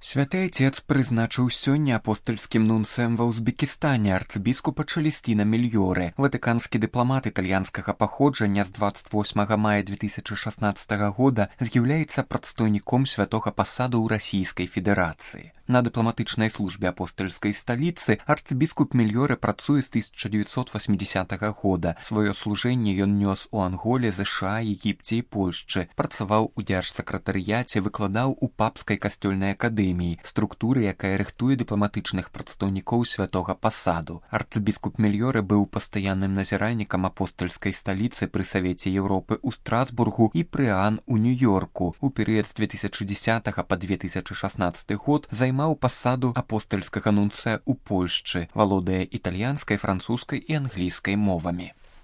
Святы Отец прызначыў сёння апостальскім нунцыем ва Узбекістане арцыбіскупа Чэлесціна Мільёрэ. Ватыканскі дыпламат італьянскага паходжання з 28 мая 2016 года з'яўляецца прадстаўніком святога пасаду ў Расійскай Федэрацыі. На дыпламатычнай службе апостальскай сталіцы арцыбіскуп Мільёрэ працуе з 1980 года. Сваё служэнне ён нёс у Анголе, ЗША, Егіпце і Польшчы. Працаваў у дзяржсакратарыяце, выкладаў у папскай касцёльнай акадэміі, структуры, якая рыхтуе дыпламатычных прадстаўнікоў святога пасаду. Арцыбіскуп Мільёрэ быў пастаянным назіральнікам апостальскай сталіцы пры Савеце Еўропы ў Страсбургу і пры ААН у Нью-Йорку. У перыяд з 2010 па 2016 год займаў пасаду апостальскага нунцыя ў Польшчы, валодае італьянскай, французскай і англійскай мовамі.